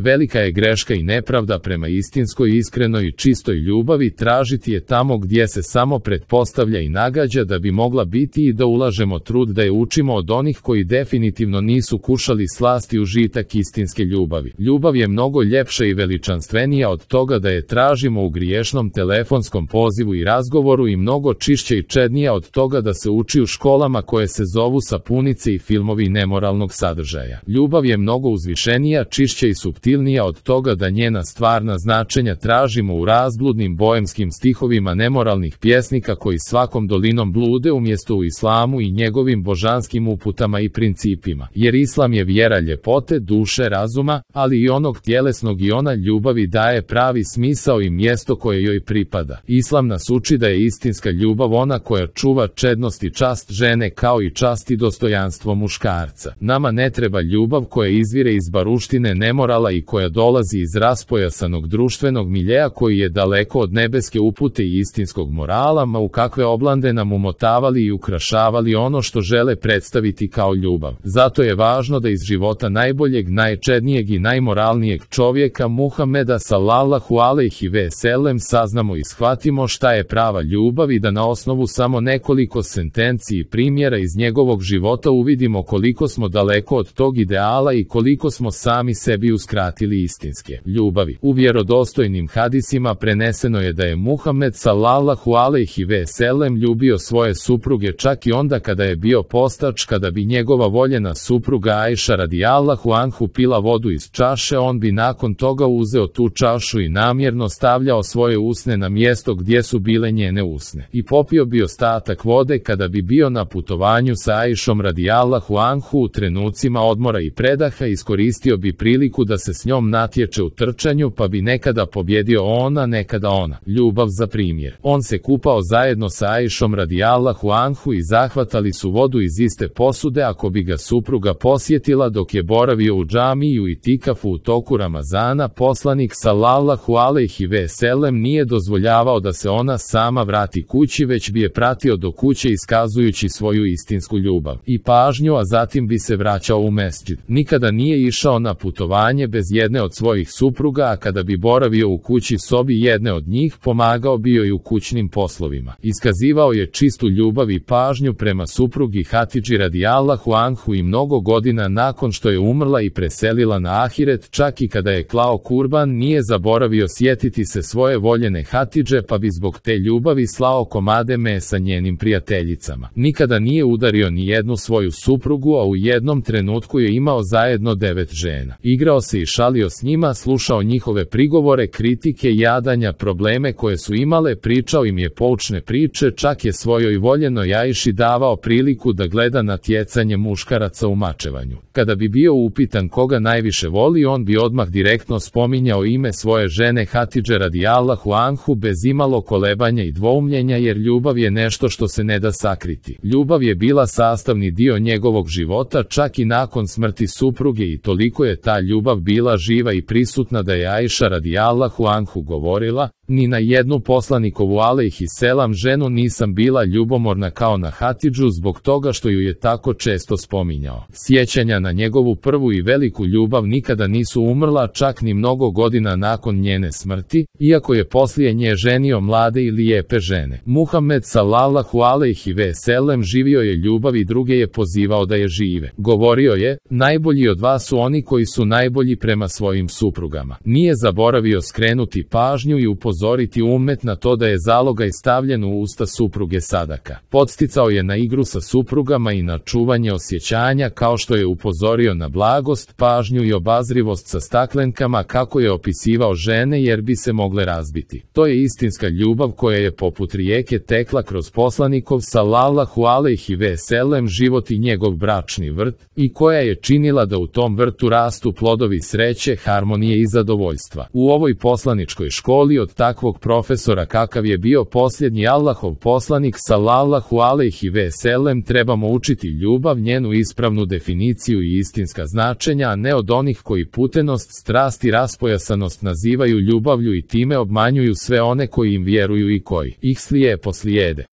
Velika je greška i nepravda prema istinskoj, iskrenoj i čistoj ljubavi tražiti je tamo gdje se samo pretpostavlja i nagađa da bi mogla biti i da ulažemo trud da je učimo od onih koji definitivno nisu kušali slast i užitak istinske ljubavi. Ljubav je mnogo ljepša i veličanstvenija od toga da je tražimo u griješnom telefonskom pozivu i razgovoru i mnogo čišća i čednija od toga da se uči u školama koje se zovu sapunice i filmovi nemoralnog sadržaja. Ljubav je mnogo uzvišenija, čišća i suptilnija od toga da njena stvarna značenja tražimo u razbludnim boemskim stihovima nemoralnih pjesnika koji svakom dolinom blude umjesto u islamu i njegovim božanskim uputama i principima. Jer islam je vjera ljepote, duše, razuma, ali i onog tjelesnog i ona ljubavi daje pravi smisao i mjesto koje joj pripada. Islam nas uči da je istinska ljubav ona koja čuva čednost i čast žene kao i čast i dostojanstvo muškarca. Nama ne treba ljubav koja izvire iz baruštine nemorala i koja dolazi iz raspojasanog društvenog miljeja koji je daleko od nebeske upute i istinskog morala, ma u kakve oblande nam umotavali i ukrašavali ono što žele predstaviti kao ljubav. Zato je važno da iz života najboljeg, najčednijeg i najmoralnijeg čovjeka Muhameda sallallahu alejhi ve sellem saznamo i shvatimo šta je prava ljubav i da na osnovu samo nekoliko sentenci i primjera iz njegovog života uvidimo koliko smo daleko od tog ideala i koliko smo sami sebi uskratili istinske ljubavi. U vjerodostojnim hadisima preneseno je da je Muhammed sallallahu alejhi ve sellem ljubio svoje supruge čak i onda kada je bio postač. Kada bi njegova voljena supruga Ajša radijallahu anhu pila vodu iz čaše, on bi nakon toga uzeo tu čašu i namjerno stavljao svoje usne na mjesto gdje su bile njene usne i popio bi ostatak vode. Kada bi bio na putovanju sa Ajšom radijallahu anhu u trenucima odmora i predaha, iskoristio bi priliku da se s njom natječe u trčanju, pa bi nekada pobjedio ona, nekada ona. Ljubav za primjer. On se kupao zajedno sa Ajšom radijallahu anhu i zahvatali su vodu iz iste posude. Ako bi ga supruga posjetila dok je boravio u džamiju i tikafu u toku Ramazana, poslanik sallallahu alejhi ve sellem nije dozvoljavao da se ona sama vrati kući, već bi je pratio do kuće iskazujući svoju istinsku ljubav i pažnju, a zatim bi se vraćao u mesdžid. Nikada nije išao na putovanje bez jedne od svojih supruga, a kada bi boravio u kući sobi jedne od njih, pomagao bi joj u kućnim poslovima. Iskazivao je čistu ljubav i pažnju prema suprugi Hatidži radijallahu anhu i mnogo godina nakon što je umrla i preselila na ahiret, čak i kada je klao kurban, nije zaboravio sjetiti se svoje voljene Hatidže, pa bi zbog te ljubavi slao komade mesa njenim prijateljicama. Nikada nije udario ni jednu svoju suprugu, a u jednom trenutku je imao zajedno 9 žena. Igrao se i šalio s njima, slušao njihove prigovore, kritike, jadanja, probleme koje su imale, pričao im je poučne priče, čak je svojoj voljenoj Ajši davao priliku da gleda natjecanje muškaraca u mačevanju. Kada bi bio upitan koga najviše voli, on bi odmah direktno spominjao ime svoje žene Hatidže radijallahu anhu bez imalo kolebanja i dvoumljenja, jer ljubav je nešto što se ne da sakriti. Ljubav je bila sastavni dio njegovog života čak i nakon smrti supruge i toliko je ta ljubav bila živa i prisutna da je Ajša radijallahu anhu govorila: ni na jednu poslanikovu alejhi selam ženu nisam bila ljubomorna kao na Hatidžu, zbog toga što ju je tako često spominjao. Sjećanja na njegovu prvu i veliku ljubav nikada nisu umrla, čak ni mnogo godina nakon njene smrti, iako je poslije nje ženio mlade i lijepe žene. Muhammed sallallahu alejhi ve sellem živio je ljubav i druge je pozivao da je žive. Govorio je: najbolji od vas su oni koji su najbolji prema svojim suprugama. Nije zaboravio skrenuti pažnju i upozoriti ummet na to da je zalogaj stavljen u usta supruge sadaka. Podsticao je na igru sa suprugama i na čuvanje osjećanja, kao što je upozorio na blagost, pažnju i obazrivost sa staklenkama, kako je opisivao žene jer bi se mogle razbiti. To je istinska ljubav koja je poput rijeke tekla kroz poslanikov sallallahu alejhi ve sellem život i njegov bračni vrt, i koja je činila da u tom vrtu rastu plodovi sreće, harmonije i zadovoljstva. U ovoj poslaničkoj školi od takvog profesora kakav je bio posljednji Allahov poslanik sallallahu alejhi ve sellem trebamo učiti ljubav, njenu ispravnu definiciju i istinska značenja, a ne od onih koji putenost, strast i raspojasanost nazivaju ljubavlju i time obmanjuju sve one koji im vjeruju i koji ih slijepo slijede.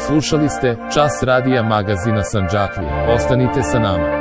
Slušali ste Čas radija magazina Sandžaklija. Ostanite sa nama.